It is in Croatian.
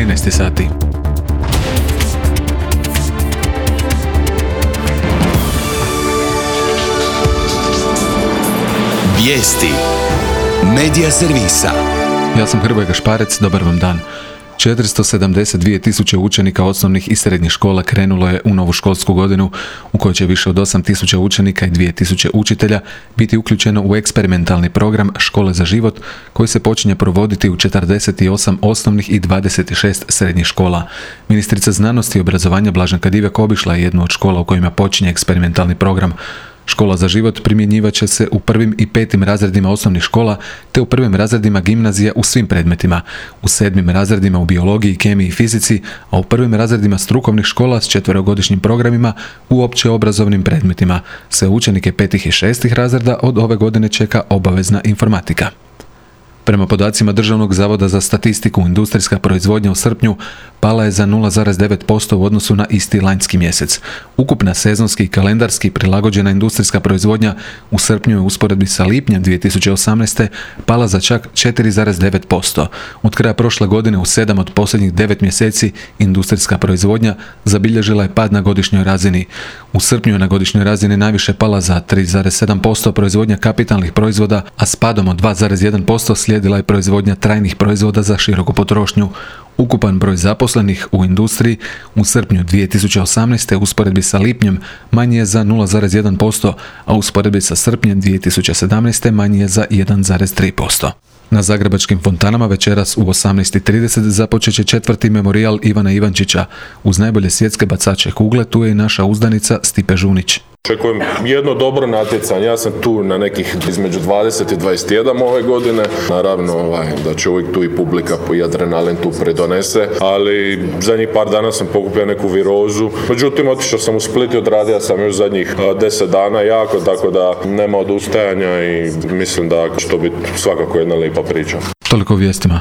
13 sati. Vijesti Medija servisa. Ja sam Hrvoje Gašparec, dobar vam dan. 472.000 učenika osnovnih i srednjih škola krenulo je u novu školsku godinu u kojoj će više od 8.000 učenika i 2.000 učitelja biti uključeno u eksperimentalni program Škole za život koji se počinje provoditi u 48 osnovnih i 26 srednjih škola. Ministrica znanosti i obrazovanja Blaženka Divjak obišla je jednu od škola u kojima počinje eksperimentalni program. Škola za život primjenjivat će se u 1. i 5. razredima osnovnih škola te u 1. razredima gimnazija u svim predmetima, u 7. razredima u biologiji, kemiji i fizici, a u 1. razredima strukovnih škola s 4-godišnjim programima u općeobrazovnim predmetima. Sve učenike 5. i 6. razreda od ove godine čeka obavezna informatika. Prema podacima Državnog zavoda za statistiku, industrijska proizvodnja u srpnju pala je za 0,9% u odnosu na isti lanjski mjesec. Ukupna sezonski i kalendarski prilagođena industrijska proizvodnja u srpnju je u usporedbi sa lipnjem 2018. pala za čak 4,9%. Od kraja prošle godine u 7 od posljednjih 9 mjeseci industrijska proizvodnja zabilježila je pad na godišnjoj razini. U srpnju je na godišnjoj razini najviše pala za 3,7% proizvodnja kapitalnih proizvoda, a s padom od 2,1% slijedila je proizvodnja trajnih proizvoda za široku potrošnju. Ukupan broj zaposlenih u industriji u srpnju 2018. u usporedbi sa lipnjem manji je za 0,1%, a u usporedbi sa srpnjem 2017. manji je za 1,3%. Na zagrebačkim fontanama večeras u 18:30 započet će 4. memorijal Ivana Ivančića. Uz najbolje svjetske bacače kugle tu je i naša uzdanica Stipe Žunić. Očekujem jedno dobro natjecanje. Ja sam tu na nekih između 20 i 21 ove godine. Naravno da će uvijek tu i publika i adrenalin tu pridonese, ali zadnjih par dana sam pokupio neku virozu. Međutim, otišao sam u Split i odradio sam još zadnjih 10 dana jako, tako da nema odustajanja i mislim da će to biti svakako jedna lijepa priča. Toliko o vijestima.